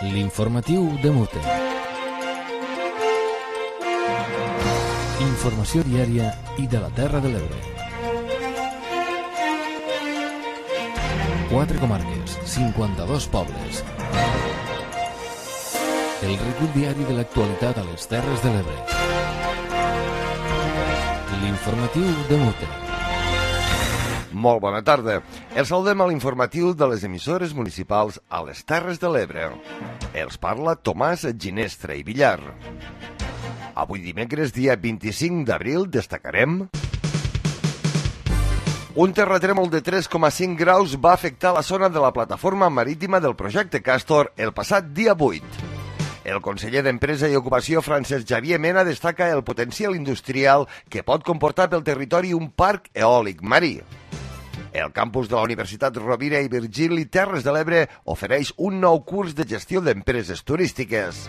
L'informatiu de Mute. Informació diària i de la Terra de l'Ebre. 4 comarques, 52 pobles. El recull diari de l'actualitat a les Terres de l'Ebre. L'informatiu de Mute. Molt bona tarda. Els saludem a l'informatiu de les emissores municipals a les Terres de l'Ebre. Els parla Tomàs Ginestra i Villar. Avui dimecres, dia 25 d'abril, destacarem... Un terratrèmol de 3,5 graus va afectar la zona de la plataforma marítima del projecte Castor el passat dia 8. El conseller d'Empresa i Ocupació, Francesc Xavier Mena, destaca el potencial industrial que pot comportar pel territori un parc eòlic marí. El campus de la Universitat Rovira i Virgili Terres de l'Ebre ofereix un nou curs de gestió d'empreses turístiques.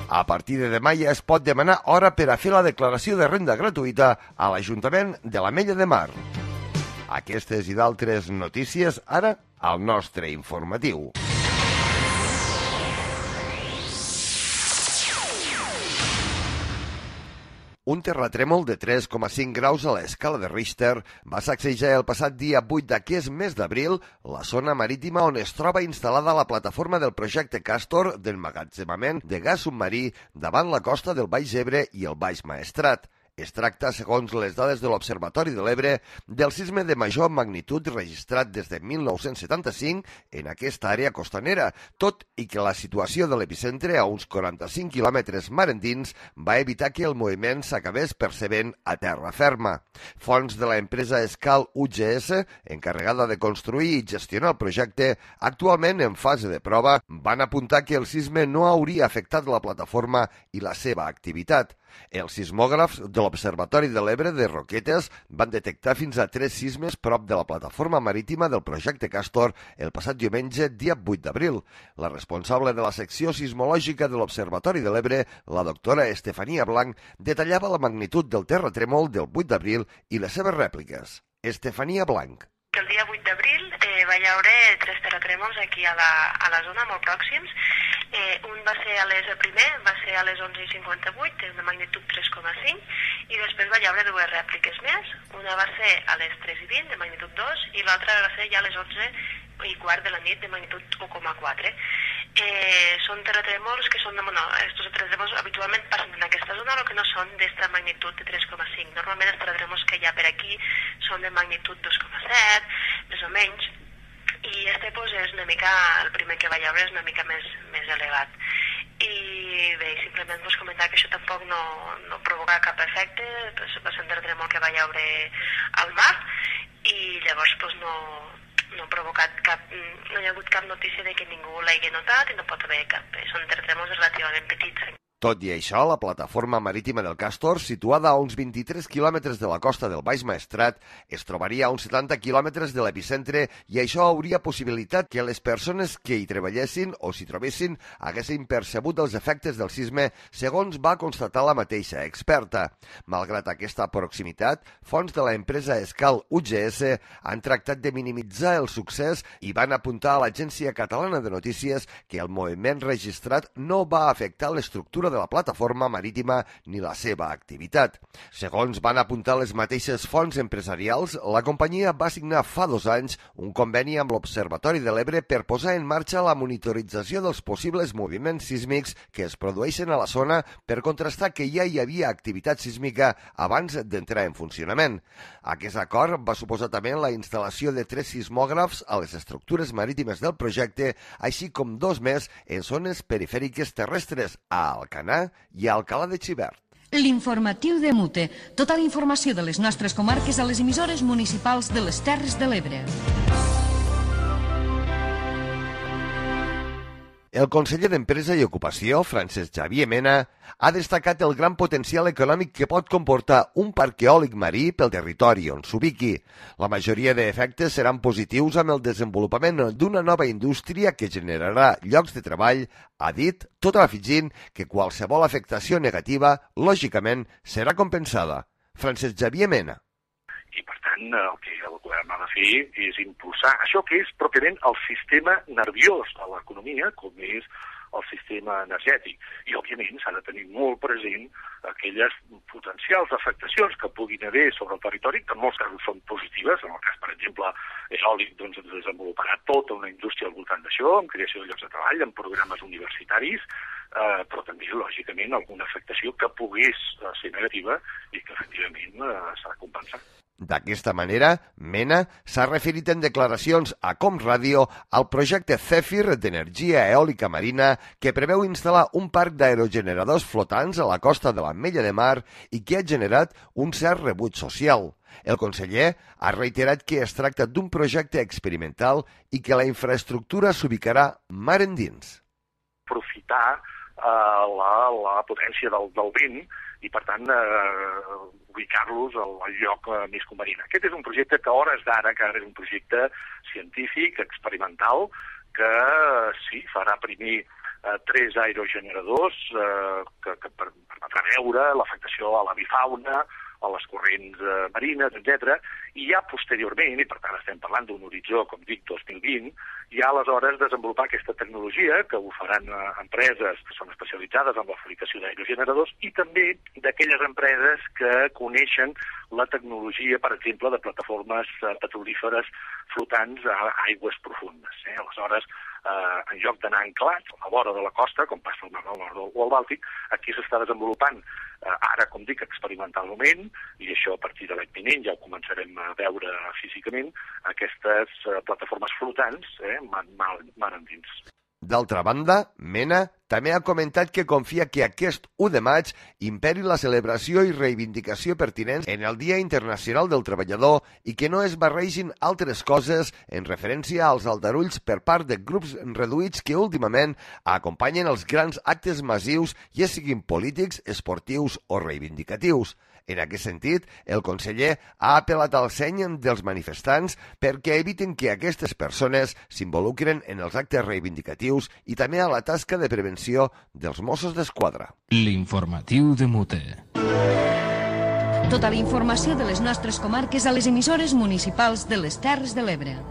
A partir de demà ja es pot demanar hora per a fer la declaració de renda gratuïta a l'Ajuntament de l'Ametlla de Mar. Aquestes i d'altres notícies ara al nostre informatiu. Un terratrèmol de 3,5 graus a l'escala de Richter va sacsejar el passat dia 8 d'aquest mes d'abril la zona marítima on es troba instal·lada la plataforma del projecte Castor d'emmagatzemament de gas submarí davant la costa del Baix Ebre i el Baix Maestrat. Es tracta, segons les dades de l'Observatori de l'Ebre, del sisme de major magnitud registrat des de 1975 en aquesta àrea costanera, tot i que la situació de l'epicentre a uns 45 quilòmetres mar endins va evitar que el moviment s'acabés percebent a terra ferma. Fonts de l'empresa Escal UGS, encarregada de construir i gestionar el projecte, actualment en fase de prova, van apuntar que el sisme no hauria afectat la plataforma i la seva activitat. Els sismògrafs de l'Observatori de l'Ebre de Roquetes van detectar fins a 3 sismes prop de la plataforma marítima del projecte Castor el passat diumenge, dia 8 d'abril. La responsable de la secció sismològica de l'Observatori de l'Ebre, la doctora Estefania Blanc, detallava la magnitud del terratrèmol del 8 d'abril i les seves rèpliques. Estefania Blanc. El dia 8 d'abril va hi haure 3 terratrèmols aquí a la zona, molt pròxims. Un va ser el primer va ser a les 11:58, de magnitud 3,5, i després va hi haure 2 rèpliques més. Una va ser a les 3:20, de magnitud 2, i l'altra va ser ja a les 11:15 de la nit, de magnitud 1,4. Són terratrèmols que són, estos terratrèmols habitualment passen en aquesta zona, però que no són d'esta magnitud de 3,5. Normalment els terratrèmols que hi ha per aquí són de magnitud 2,7, més o menys, i este és una mica, el primer que va hi haure és una mica més elevat. I bé, simplement comentar que això tampoc no provoca cap efecte, va ser un terratrèmol que va hi haure al mar, i llavors no ha provocat no hi ha hagut cap notícia de que ningú l'hagi notat i no pot haver cap. Són terratrèmols relativament petits. Tot i això, la plataforma marítima del Castor, situada a uns 23 quilòmetres de la costa del Baix Maestrat, es trobaria a uns 70 quilòmetres de l'epicentre i això hauria possibilitat que les persones que hi treballessin o s'hi trobessin haguessin percebut els efectes del sisme, segons va constatar la mateixa experta. Malgrat aquesta proximitat, fonts de l'empresa Escal UGS han tractat de minimitzar el succés i van apuntar a l'Agència Catalana de Notícies que el moviment registrat no va afectar l'estructura de la plataforma marítima ni la seva activitat. Segons van apuntar les mateixes fonts empresarials, la companyia va signar fa 2 anys un conveni amb l'Observatori de l'Ebre per posar en marxa la monitorització dels possibles moviments sísmics que es produeixen a la zona per contrastar que ja hi havia activitat sísmica abans d'entrar en funcionament. Aquest acord va suposar també la instal·lació de 3 sismògrafs a les estructures marítimes del projecte, així com 2 més en zones perifèriques terrestres a Alcanar i a Alcalà de Xivert. L'informatiu de Mute. Tota la informació de les nostres comarques a les emissores municipals de les Terres de l'Ebre. El conseller d'Empresa i Ocupació, Francesc Xavier Mena, ha destacat el gran potencial econòmic que pot comportar un parc eòlic marí pel territori on s'ubiqui. La majoria d'efectes seran positius amb el desenvolupament d'una nova indústria que generarà llocs de treball, ha dit, tot afegint que qualsevol afectació negativa, lògicament, serà compensada. Francesc Xavier Mena. I, per tant, el que el govern ha de fer és impulsar això que és pròpiament el sistema nerviós de l'economia, com és el sistema energètic. I, òbviament, s'ha de tenir molt present aquelles potencials afectacions que puguin haver sobre el territori, que en molts casos són positives. En el cas, per exemple, eòlic, doncs es desenvoluparà tota una indústria al voltant d'això, amb creació de llocs de treball, amb programes universitaris, però també, lògicament, alguna afectació que pogués ser negativa i que, efectivament, s'ha de compensar. D'aquesta manera, Mena s'ha referit en declaracions a Com Ràdio al projecte Zèfir d'energia eòlica marina que preveu instal·lar un parc d'aerogeneradors flotants a la costa de l'Ametlla de Mar i que ha generat un cert rebuig social. El conseller ha reiterat que es tracta d'un projecte experimental i que la infraestructura s'ubicarà mar endins. Aprofitar la potència del vent i, per tant, ubicar-los al lloc més convenient. Aquest és un projecte que a hores d'ara encara és un projecte científic, experimental, que sí, farà primer 3 aerogeneradors que permetrà veure l'afectació a l'avifauna, a les corrents marines, etc. I ja posteriorment, i per tant estem parlant d'un horitzó, com dic, 2020, ja aleshores desenvolupar aquesta tecnologia, que ho faran empreses que són especialitzades en la fabricació d'aerogeneradors i també d'aquelles empreses que coneixen la tecnologia, per exemple, de plataformes petrolíferes flotants a aigües profundes. Aleshores, en lloc d'anar anclats a la vora de la costa, com passa al Mar del Nord o al Bàltic, aquí s'està desenvolupant ara, com dic, experimentalment, i això a partir de l'any vinent ja ho començarem a veure físicament, aquestes plataformes flotants, mar endins. D'altra banda, Mena també ha comentat que confia que aquest 1 de maig imperi la celebració i reivindicació pertinents en el Dia Internacional del Treballador i que no es barregin altres coses en referència als aldarulls per part de grups reduïts que últimament acompanyen els grans actes massius, ja siguin polítics, esportius o reivindicatius. En aquest sentit, el conseller ha apel·lat al seny dels manifestants perquè eviten que aquestes persones s'involucren en els actes reivindicatius i també a la tasca de prevenció dels Mossos d'Esquadra. L'informatiu de Mute. Tota la informació de les nostres comarques a les emissores municipals de les Terres de l'Ebre.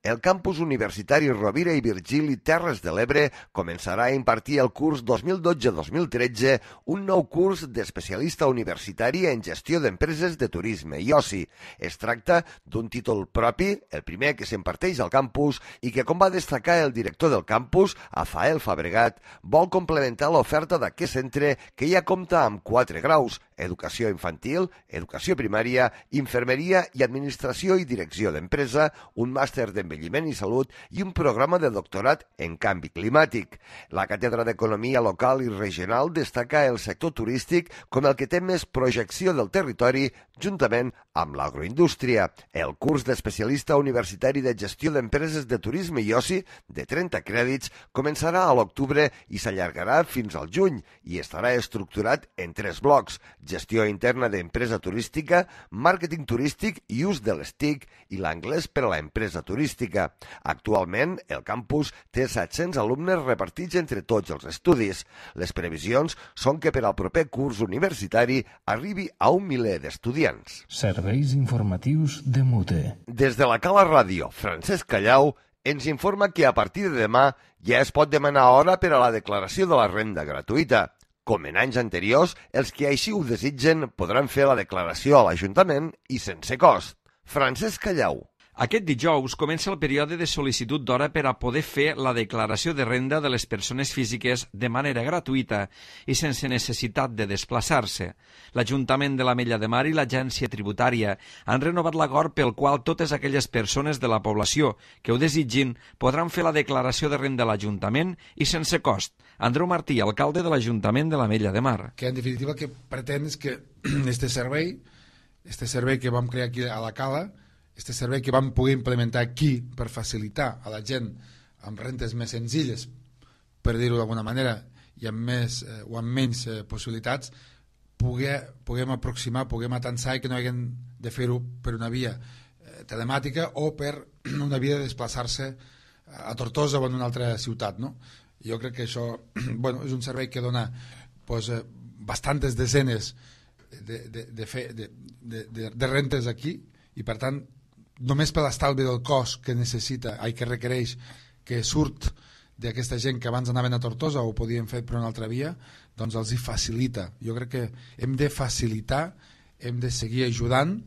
El campus universitari Rovira i Virgili Terres de l'Ebre començarà a impartir el curs 2012-2013 un nou curs d'especialista universitari en gestió d'empreses de turisme i oci. Es tracta d'un títol propi, el primer que s'imparteix al campus i que, com va destacar el director del campus, Afael Fabregat, vol complementar l'oferta d'aquest centre que ja compta amb 4 graus: educació infantil, educació primària, infermeria i administració i direcció d'empresa, un màster d'envelliment i salut i un programa de doctorat en canvi climàtic. La Càtedra d'Economia Local i Regional destaca el sector turístic com el que té més projecció del territori juntament amb l'agroindústria. El curs d'especialista universitari de gestió d'empreses de turisme i oci, de 30 crèdits, començarà a l'octubre i s'allargarà fins al juny i estarà estructurat en 3 blocs: gestió interna d'empresa turística, màrqueting turístic i ús de les TIC i l'anglès per a l'empresa turística. Actualment, el campus té 700 alumnes repartits entre tots els estudis. Les previsions són que per al proper curs universitari arribi a 1 miler d'estudiants. Serveis informatius de Mute. Des de la Cala Ràdio, Francesc Callau ens informa que a partir de demà ja es pot demanar hora per a la declaració de la renda gratuïta. Com en anys anteriors, els que així ho desitgen podran fer la declaració a l'Ajuntament i sense cost. Francesc Callau. Aquest dijous comença el període de sol·licitud d'hora per a poder fer la declaració de renda de les persones físiques de manera gratuïta i sense necessitat de desplaçar-se. L'Ajuntament de l'Ametlla de Mar i l'Agència Tributària han renovat l'acord pel qual totes aquelles persones de la població que ho desitgin podran fer la declaració de renda a l'Ajuntament i sense cost. Andreu Martí, alcalde de l'Ajuntament de l'Ametlla de Mar. Que en definitiva el que pretén és que este servei que vam crear aquí a la Cala, este servei que vam poder implementar aquí per facilitar a la gent amb rentes més senzilles, per dir-ho d'alguna manera, i amb més o amb menys possibilitats, puguem aproximar, puguem atansar i que no haguem de fer-ho per una via telemàtica o per una via de desplaçar-se a Tortosa o en una altra ciutat, no? Jo crec que això és un servei que dona bastantes desenes de rentes aquí i, per tant, només per l'estalvi del cost que requereix, que surt d'aquesta gent que abans anaven a Tortosa o podien fer per una altra via, doncs els hi facilita. Jo crec que hem de facilitar, hem de seguir ajudant,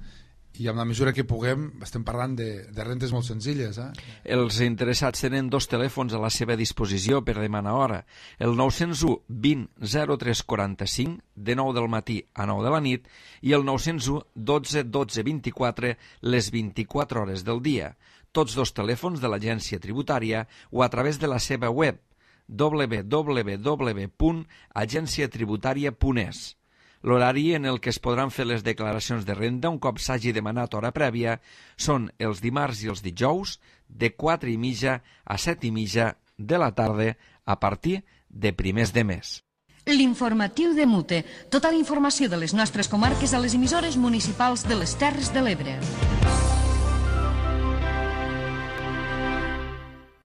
i amb la mesura que puguem estem parlant de rentes molt senzilles. Els interessats tenen 2 telèfons a la seva disposició per demanar hora. El 901 20 0345 de 9 del matí a 9 de la nit i el 901 12 12 24 les 24 hores del dia. Tots 2 telèfons de l'agència tributària o a través de la seva web www.agenciatributaria.es. L'horari en el que es podran fer les declaracions de renda un cop s'hagi demanat hora prèvia són els dimarts i els dijous de 4:30 a 7:30 de la tarda a partir de primers de mes. L'informatiu de Mute. Tota la informació de les nostres comarques a les emissores municipals de les Terres de l'Ebre.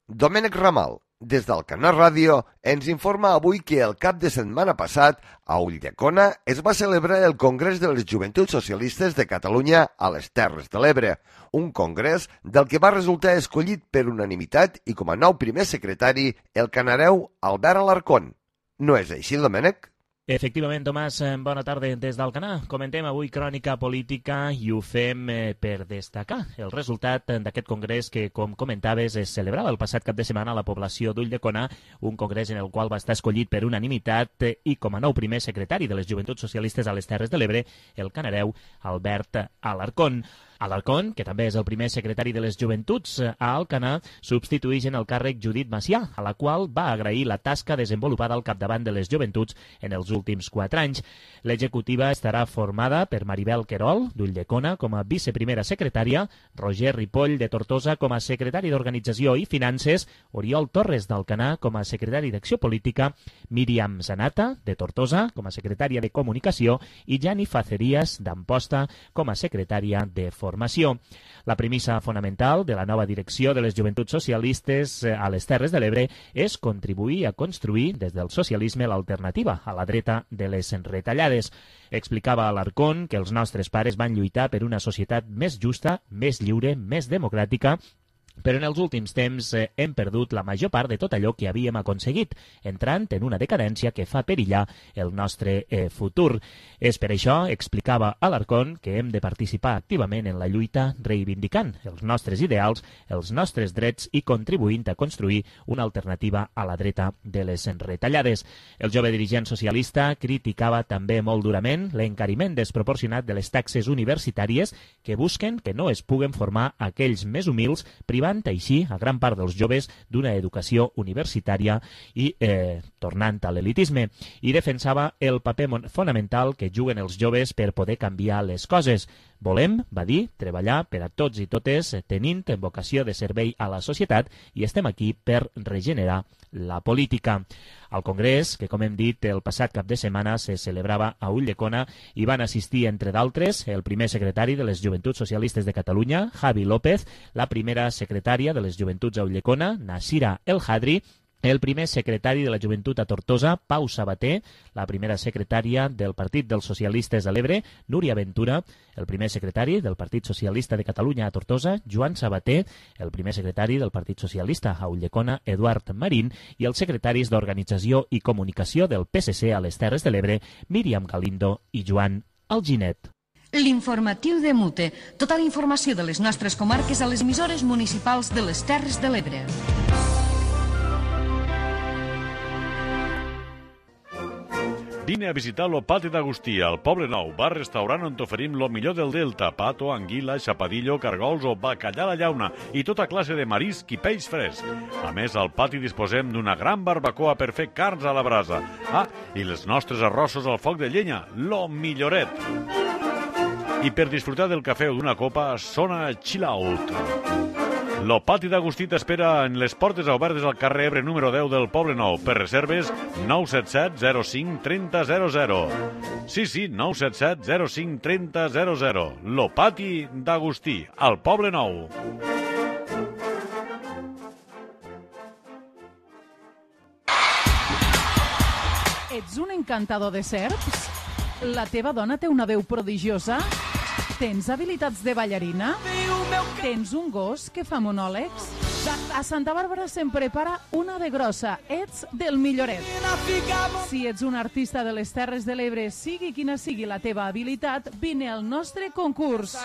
Domènec Ramal, des del Canal Ràdio, ens informa avui que el cap de setmana passat a Ulldecona es va celebrar el Congrés de les Joventuts Socialistes de Catalunya a les Terres de l'Ebre, un congrés del que va resultar escollit per unanimitat i com a nou primer secretari el canareu Albert Alarcón. No és així, Domènec? Efectivament, Tomàs, bona tarda des d'Alcanar. Comentem avui crònica política i ho fem per destacar el resultat d'aquest congrés que, com comentaves, es celebrava el passat cap de setmana a la població d'Ulldecona, un congrés en el qual va estar escollit per unanimitat i com a nou primer secretari de les Joventuts Socialistes a les Terres de l'Ebre, el canareu Albert Alarcón. Alarcón, que també és el primer secretari de les Joventuts a Alcanar, substitueix en el càrrec Judit Macià, a la qual va agrair la tasca desenvolupada al capdavant de les Joventuts en els últims 4 anys. L'executiva estarà formada per Maribel Querol, d'Ulldecona, com a viceprimera secretària, Roger Ripoll, de Tortosa, com a secretari d'Organització i Finances, Oriol Torres, d'Alcanar, com a secretari d'Acció Política, Míriam Zanata, de Tortosa, com a secretària de Comunicació, i Jani Facerías, d'Amposta, com a secretària de Formació. La premissa fonamental de la nova direcció de les Joventuts Socialistes a les Terres de l'Ebre és contribuir a construir des del socialisme l'alternativa a la dreta de les retallades. Explicava Alarcón que els nostres pares van lluitar per una societat més justa, més lliure, més democràtica, però en els últims temps hem perdut la major part de tot allò que havíem aconseguit, entrant en una decadència que fa perillar el nostre futur. És per això, explicava Alarcón, que hem de participar activament en la lluita reivindicant els nostres ideals, els nostres drets i contribuint a construir una alternativa a la dreta de les retallades. El jove dirigent socialista criticava també molt durament l'encariment desproporcionat de les taxes universitàries que busquen que no es puguen formar aquells més humils, privant així a gran part dels joves d'una educació universitària i tornant a l'elitisme. I defensava el paper fonamental que juguen els joves per poder canviar les coses. Volem, va dir, treballar per a tots i totes tenint vocació de servei a la societat i estem aquí per regenerar la política. Al Congrés, que com hem dit el passat cap de setmana se celebrava a Ulldecona, hi van assistir, entre d'altres, el primer secretari de les Joventuts Socialistes de Catalunya, Javi López, la primera secretària de les Joventuts a Ulldecona, Nasira El Hadri, el primer secretari de la Joventut a Tortosa, Pau Sabater, la primera secretària del Partit dels Socialistes a l'Ebre, Núria Ventura, el primer secretari del Partit Socialista de Catalunya a Tortosa, Joan Sabater, el primer secretari del Partit Socialista a Ulldecona, Eduard Marín, i els secretaris d'Organització i Comunicació del PSC a les Terres de l'Ebre, Míriam Galindo i Joan Alginet. L'informatiu de Mute. Tota la informació de les nostres comarques a les emissores municipals de les Terres de l'Ebre. Vine a visitar lo Pati d'Agustí, al Poble Nou, bar-restaurant on t'oferim lo millor del Delta, pato, anguila, xapadillo, cargols o bacallà a la llauna i tota classe de marisc i peix fresc. A més, al pati disposem d'una gran barbacoa per fer carns a la brasa. Ah, i els nostres arrossos al foc de llenya, lo milloret. I per disfrutar del cafè o d'una copa, sona Chill Out. Lo Pati d'Agustí t'espera en les portes obertes al carrer Ebre número 10 del Poble Nou. Per reserves, 977 05 30 00. Sí, 977 05 30 00. Lo Pati d'Agustí, al Poble Nou. Ets un encantador de serps? La teva dona té una veu prodigiosa? Tens habilitats de ballarina? Tens un gos que fa monòlegs? A Santa Bàrbara se'n prepara una de grossa. Ets del Milloret. Si ets un artista de les Terres de l'Ebre, sigui quina sigui la teva habilitat, vine al nostre concurs.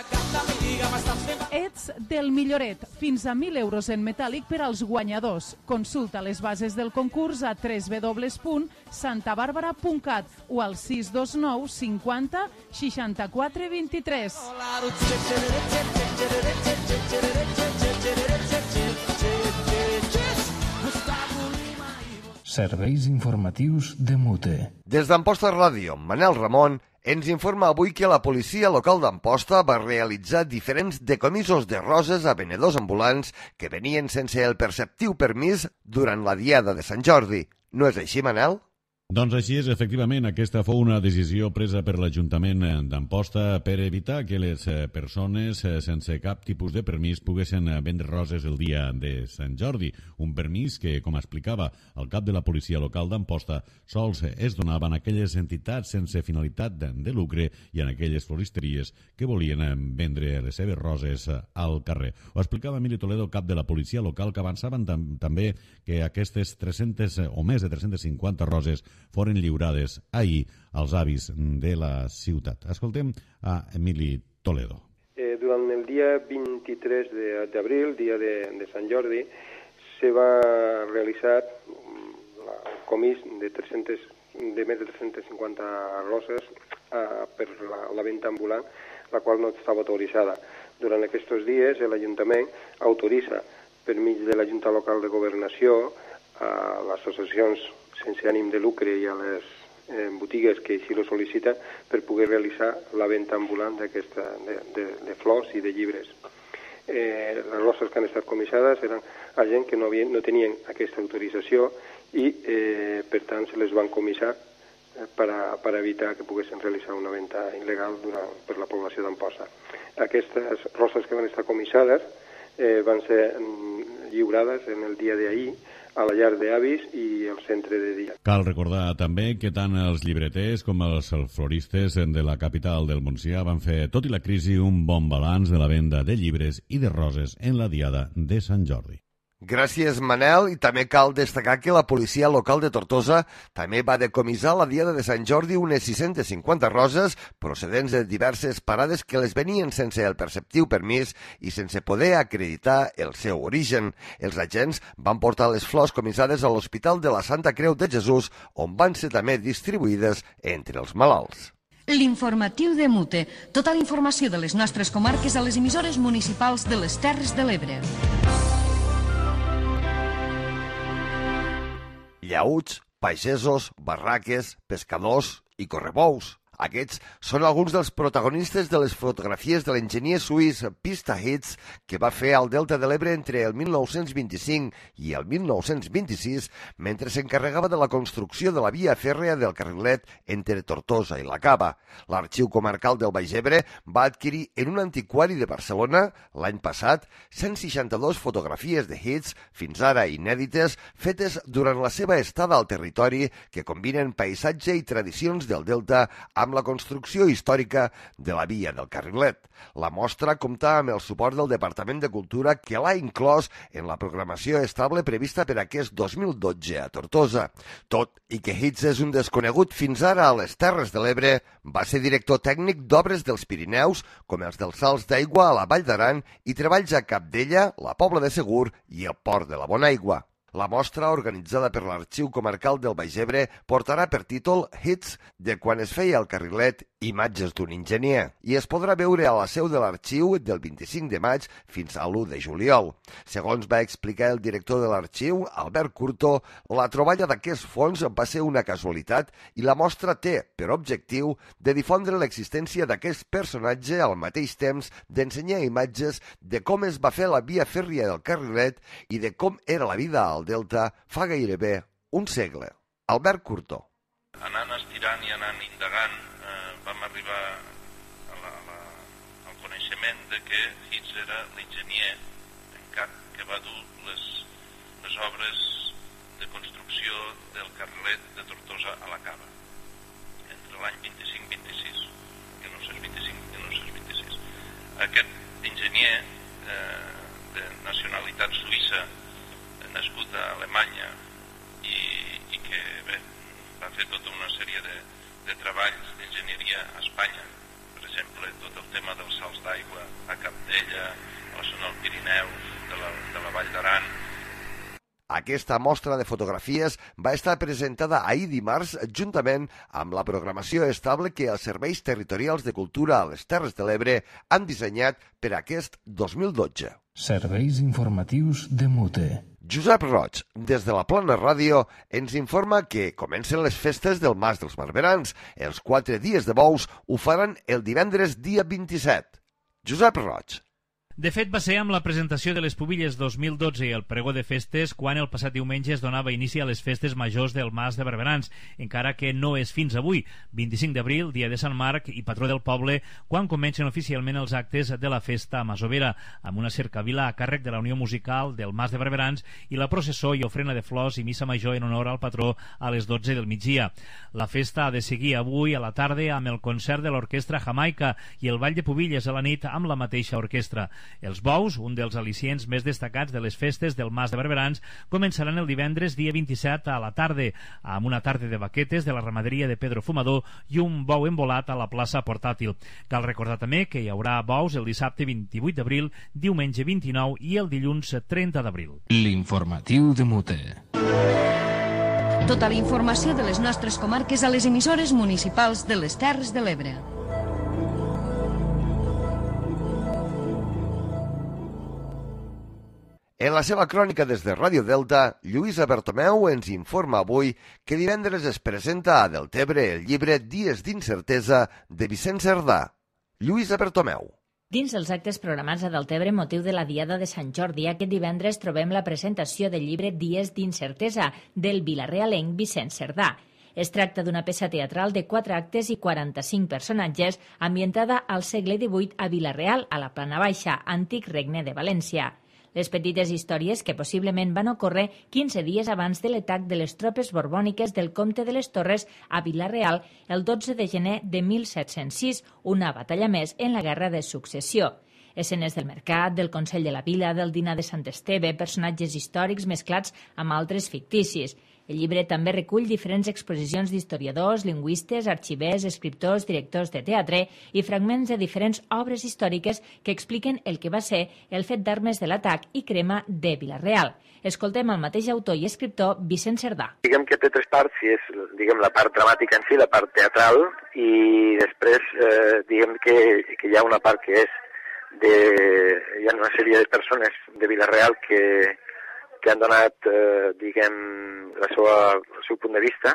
Ets del Milloret. Fins a 1.000 euros en metàl·lic per als guanyadors. Consulta les bases del concurs a www.santabarbara.cat o al 629 50 64 23. Serveis informatius de Mute. Des d'Amposta Ràdio, Manel Ramon ens informa avui que la policia local d'Amposta va realitzar diferents decomisos de roses a venedors ambulants que venien sense el perceptiu permís durant la diada de Sant Jordi. No és així, Manel? Doncs així és, efectivament, aquesta fou una decisió presa per l'Ajuntament d'Amposta per evitar que les persones sense cap tipus de permís poguessin vendre roses el dia de Sant Jordi. Un permís que, com explicava el cap de la policia local d'Amposta, sols es donaven a aquelles entitats sense finalitat de lucre i en aquelles floristeries que volien vendre les seves roses al carrer. Ho explicava Emili Toledo, cap de la policia local, que avançaven també que aquestes 300 o més de 350 roses foren lliurades ahir als avis de la ciutat. Escoltem a Emili Toledo. Durant el dia 23 d'abril, dia de Sant Jordi, se va realitzar el comís de més de 350 roses per la venda ambulant, la qual no estava autoritzada. Durant aquests dies, l'Ajuntament autoritza, per mig de la Junta Local de Governació, a les associacions sense ànim de lucre i a les botigues que així ho sol·liciten per poder realitzar la venda ambulant de flors i de llibres. Les roses que han estat comissades eren a gent que no tenien aquesta autorització i, per tant, se les van comissar per evitar que poguessin realitzar una venda il·legal per la població d'Amposta. Aquestes roses que van estar comissades van ser lliurades en el dia d'ahir a la llar d'avis i al centre de dia. Cal recordar també que tant els llibreters com els floristes de la capital del Montsià van fer, tot i la crisi, un bon balanç de la venda de llibres i de roses en la diada de Sant Jordi. Gràcies, Manel, i també cal destacar que la policia local de Tortosa també va decomissar la diada de Sant Jordi unes 650 roses procedents de diverses parades que les venien sense el perceptiu permís i sense poder acreditar el seu origen. Els agents van portar les flors comissades a l'Hospital de la Santa Creu de Jesús, on van ser també distribuïdes entre els malalts. L'informatiu de Mute. Tota la informació de les nostres comarques a les emissores municipals de les Terres de l'Ebre. Llauts, pagesos, barraques, pescadors i correbous. Aquests són alguns dels protagonistes de les fotografies de l'enginyer suís Pista Hits que va fer al Delta de l'Ebre entre el 1925 i el 1926 mentre s'encarregava de la construcció de la via fèrrea del carrilet entre Tortosa i la Cava. L'Arxiu Comarcal del Baix Ebre va adquirir en un antiquari de Barcelona l'any passat 162 fotografies de Hits, fins ara inèdites, fetes durant la seva estada al territori que combinen paisatge i tradicions del Delta amb la construcció històrica de la via del carrilet. La mostra compta amb el suport del Departament de Cultura que l'ha inclòs en la programació estable prevista per aquest 2012 a Tortosa. Tot i que Hits és un desconegut fins ara a les Terres de l'Ebre, va ser director tècnic d'obres dels Pirineus, com els dels salts d'aigua a la Vall d'Aran i treballs a Capdella, la Pobla de Segur i el Port de la Bonaigua. La mostra, organitzada per l'Arxiu Comarcal del Baix Ebre, portarà per títol Hits de quan es feia el carrilet, imatges d'un enginyer, i es podrà veure a la seu de l'arxiu del 25 de maig fins a l'1 de juliol. Segons va explicar el director de l'arxiu, Albert Curto, la troballa d'aquest fons va ser una casualitat i la mostra té per objectiu de difondre l'existència d'aquest personatge al mateix temps d'ensenyar imatges de com es va fer la via fèrria del carrilet i de com era la vida al Delta fa gairebé un segle. Albert Curto. Anant estirant i anant indagant vam arribar al coneixement de que Hits era l'enginyer en cap que va dur les obres de construcció del carrilet de Tortosa a la Cava entre l'any 25-26, 1925 i 1926. aquest enginyer de nacionalitat suïssa, nascut a Alemanya i que bé, va fer tota una sèrie de treballs d'enginyeria a Espanya, per exemple tot el tema dels salts d'aigua a Capdella, a la zona del Pirineu, de la Vall d'Aran. Aquesta mostra de fotografies va estar presentada ahir dimarts juntament amb la programació estable que els serveis territorials de cultura a les Terres de l'Ebre han dissenyat per aquest 2012. Serveis informatius de MUTE. Josep Roig, des de la Plana Ràdio, ens informa que comencen les festes del Mas dels Barberans. Els 4 dies de bous ho faran el divendres dia 27. Josep Roig. De fet, va ser amb la presentació de les Pubilles 2012 i el pregó de festes quan el passat diumenge es donava inici a les festes majors del Mas de Barberans, encara que no és fins avui, 25 d'abril, dia de Sant Marc i patró del poble, quan comencen oficialment els actes de la festa masovera, amb una cercavila a càrrec de la Unió Musical del Mas de Barberans i la processó i ofrena de flors i missa major en honor al patró a les 12 del migdia. La festa ha de seguir avui a la tarda amb el concert de l'Orquestra Jamaica i el Ball de Pubilles a la nit amb la mateixa orquestra. Els bous, un dels al·licients més destacats de les festes del Mas de Barberans, començaran el divendres dia 27 a la tarda, amb una tarda de baquetes de la ramaderia de Pedro Fumador i un bou embolat a la plaça portàtil. Cal recordar també que hi haurà bous el dissabte 28 d'abril, diumenge 29 i el dilluns 30 d'abril. L'informatiu de MUTE. Tota la informació de les nostres comarques a les emissores municipals de les Terres de l'Ebre. En la seva crònica des de Ràdio Delta, Lluïsa Bertomeu ens informa avui que divendres es presenta a Deltebre el llibre Dies d'incertesa de Vicent Cerdà. Lluïsa Bertomeu. Dins els actes programats a Deltebre motiu de la Diada de Sant Jordi, aquest divendres trobem la presentació del llibre Dies d'incertesa del vilarealenc Vicent Cerdà. Es tracta d'una peça teatral de 4 actes i 45 personatges ambientada al segle XVIII a Vila-real, a la Plana Baixa, antic regne de València. Les petites històries que possiblement van ocórrer 15 dies abans de l'atac de les tropes borbòniques del comte de les Torres a Vila-real el 12 de gener de 1706, una batalla més en la Guerra de Successió. Escenes del mercat, del Consell de la Vila, del dinar de Sant Esteve, personatges històrics mesclats amb altres ficticis. El llibre també recull diferents exposicions d'historiadors, lingüistes, arxivers, escriptors, directors de teatre i fragments de diferents obres històriques que expliquen el que va ser el fet d'armes de l'atac i crema de Vila-real. Escoltem el mateix autor i escriptor Vicent Cerdà. Diguem que té 3 parts, si és la part dramàtica en si, la part teatral, i després diguem que hi ha una part que és hi ha una sèrie de persones de Vila-real que han donat, el seu punt de vista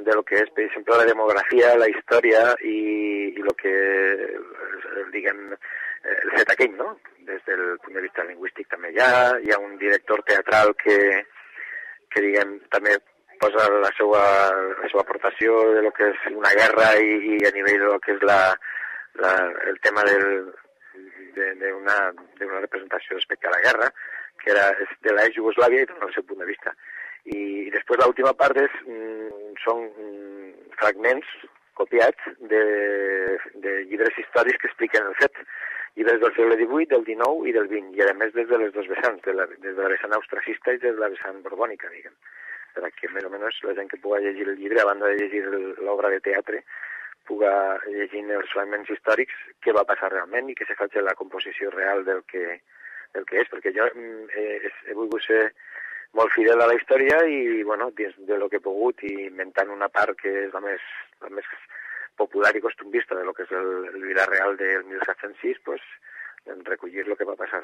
de lo que és, per exemple, la demografia, la història i el que, el fet aquell, no? Des del punt de vista lingüístic també hi ha un director teatral que també posa la seva aportació de lo que és una guerra i a nivell de lo que és el tema d'una representació respecte a la guerra, que era de l'ex-Jugoslàvia i dona el seu punt de vista. I després l'última part són fragments copiats de llibres històrics que expliquen el fet. Llibres del segle XVIII, del XIX i del XX, i a més des de les dues vessants, des de la vessant austracista i des de la vessant borbònica, diguem. Perquè més o menys la gent que puga llegir el llibre, a banda de llegir l'obra de teatre, puga llegir els fragments històrics què va passar realment i que se faci la composició real del que és, perquè jo he volgut ser molt fidel a la història i, dins de lo que he pogut, i inventant una part que és la més popular i costumbista de lo que és el Vila-real del 1706, recollir el que va passar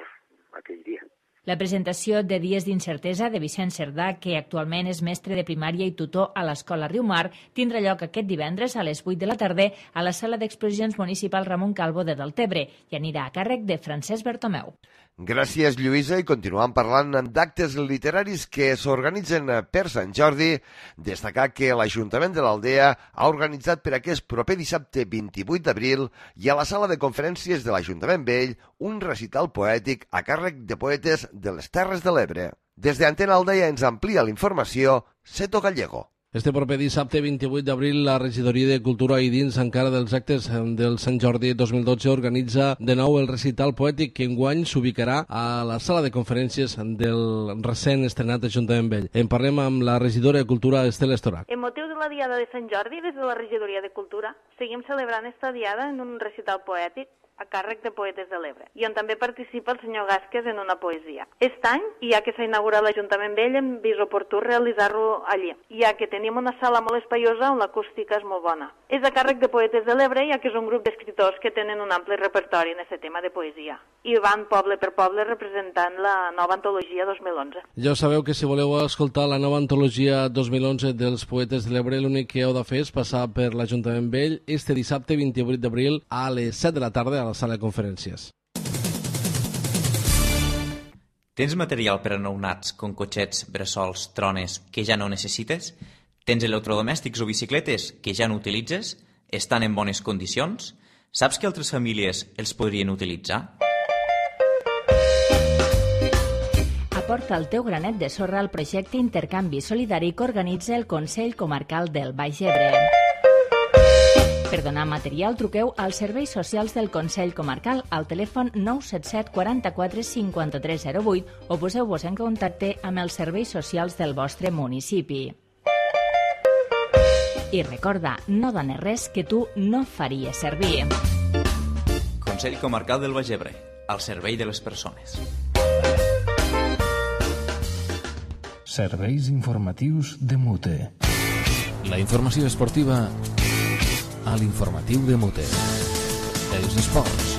aquell dia. La presentació de Dies d'incertesa de Vicent Cerdà, que actualment és mestre de primària i tutor a l'Escola Riumar, tindrà lloc aquest divendres a les 8 de la tarda a la Sala d'Exposicions Municipal Ramon Calvo de Deltebre i anirà a càrrec de Francesc Bertomeu. Gràcies, Lluïsa, i continuem parlant d'actes literaris que s'organitzen per Sant Jordi. Destacar que l'Ajuntament de l'Aldea ha organitzat per aquest proper dissabte 28 d'abril i a la sala de conferències de l'Ajuntament Vell un recital poètic a càrrec de poetes de les Terres de l'Ebre. Des d'Antena Aldea ens amplia la informació Seto Gallego. Este proper dissabte 28 d'abril la Regidoria de Cultura i dins encara dels actes del Sant Jordi 2012 organitza de nou el recital poètic que enguany s'ubicarà a la sala de conferències del recent estrenat Ajuntament Vell. En parlem amb la regidora de Cultura Estela Estorac. En motiu de la Diada de Sant Jordi, des de la Regidoria de Cultura, seguim celebrant esta diada en un recital poètic a càrrec de Poetes de l'Ebre, i on també participa el senyor Gàsquez en una poesia. Aquest any, ja que s'ha inaugurat l'Ajuntament Vell, hem vist oportú realitzar-lo allí, ja que tenim una sala molt espaiosa on l'acústica és molt bona. És a càrrec de Poetes de l'Ebre, ja que és un grup d'escriptors que tenen un ampli repertori en aquest tema de poesia, i van poble per poble representant la nova antologia 2011. Ja sabeu que si voleu escoltar la nova antologia 2011 dels Poetes de l'Ebre, l'únic que heu de fer és passar per l'Ajuntament Vell este dissabte 28 d'abril a les 7 de la tarda a la sala de conferències. Tens material per a nounats com cotxets, bressols, trones que ja no necessites? Tens electrodomèstics o bicicletes que ja no utilitzes? Estan en bones condicions? Saps que altres famílies els podrien utilitzar? Aporta el teu granet de sorra al projecte Intercanvi Solidari que organitza el Consell Comarcal del Baix Ebre. Per donar material, truqueu als serveis socials del Consell Comarcal al telèfon 977 44 53 08 o poseu-vos en contacte amb els serveis socials del vostre municipi. I recorda, no dones res que tu no faries servir. Consell Comarcal del Baix Ebre, al servei de les persones. Serveis informatius de Mute. La informació esportiva a l'informatiu de Mute. Els esports.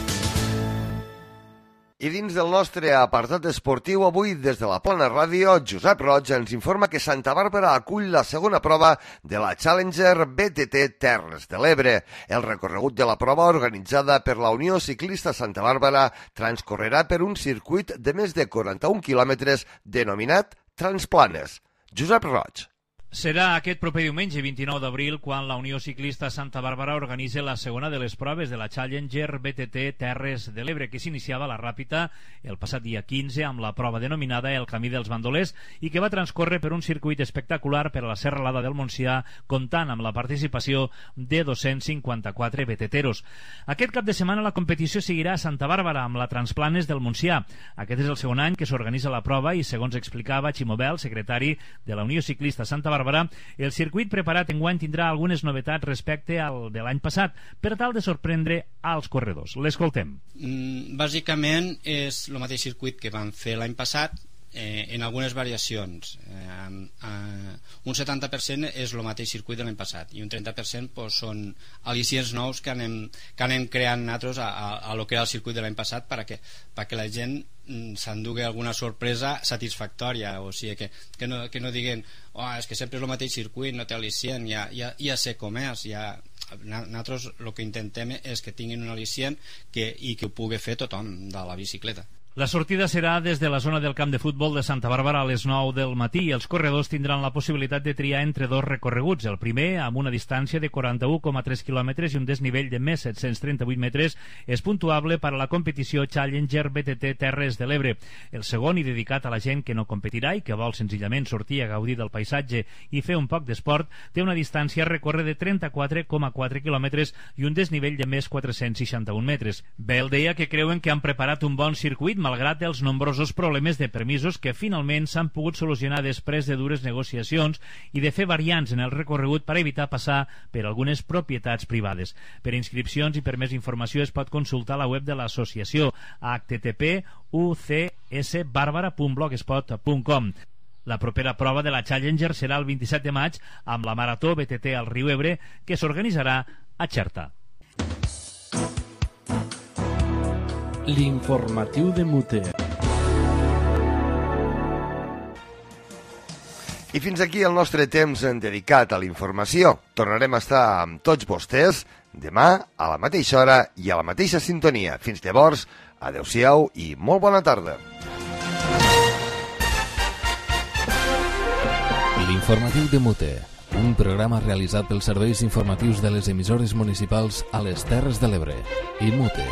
I dins del nostre apartat esportiu, avui des de la Plana Ràdio, Josep Roig ens informa que Santa Bàrbara acull la segona prova de la Challenger BTT Terres de l'Ebre. El recorregut de la prova, organitzada per la Unió Ciclista Santa Bàrbara, transcorrerà per un circuit de més de 41 quilòmetres denominat Transplanes. Josep Roig. Serà aquest proper diumenge 29 d'abril quan la Unió Ciclista Santa Bàrbara organitza la segona de les proves de la Challenger BTT Terres de l'Ebre, que s'iniciava a la Ràpita el passat dia 15 amb la prova denominada El Camí dels Bandolers i que va transcórrer per un circuit espectacular per a la Serralada del Montsià, comptant amb la participació de 254 BTTeros. Aquest cap de setmana la competició seguirà a Santa Bàrbara amb la Transplanes del Montsià. Aquest és el segon any que s'organitza la prova i, segons explicava Ximo Bel, secretari de la Unió Ciclista Santa Bàrbara, el circuit preparat enguany tindrà algunes novetats respecte al de l'any passat per tal de sorprendre als corredors. L'escoltem. Bàsicament és el mateix circuit que vam fer l'any passat, en algunes variacions. Un 70% és el mateix circuit de l'any passat i un 30% són al·licients nous que anem creant nosaltres a lo que era el circuit de l'any passat perquè la gent s'endugui alguna sorpresa satisfactòria, o sigui que no diguen és que sempre és el mateix circuit, no té al·licient, ja sé com és. Nosaltres el que intentem és que tinguin un al·licient i que ho pugui fer tothom de la bicicleta. La sortida serà des de la zona del camp de futbol de Santa Bàrbara a les 9 del matí i els corredors tindran la possibilitat de triar entre dos recorreguts. El primer, amb una distància de 41,3 quilòmetres i un desnivell de més 738 metres, és puntuable per a la competició Challenger BTT Terres de l'Ebre. El segon, i dedicat a la gent que no competirà i que vol senzillament sortir a gaudir del paisatge i fer un poc d'esport, té una distància a recórrer de 34,4 quilòmetres i un desnivell de més 461 metres. Bell deia que creuen que han preparat un bon circuit malgrat els nombrosos problemes de permisos que finalment s'han pogut solucionar després de dures negociacions i de fer variants en el recorregut per evitar passar per algunes propietats privades. Per inscripcions i per més informació es pot consultar la web de l'associació http://ucsbarbara.blogspot.com. La propera prova de la Challenger serà el 27 de maig amb la Marató BTT al Riu Ebre, que s'organitzarà a Xerta. L'informatiu de Mute. I fins aquí el nostre temps dedicat a la informació. Tornarem a estar amb tots vostès demà a la mateixa hora i a la mateixa sintonia. Fins llavors, adeu-siau i molt bona tarda. L'informatiu de Mute, un programa realitzat pels serveis informatius de les emissores municipals a les Terres de l'Ebre i Mute.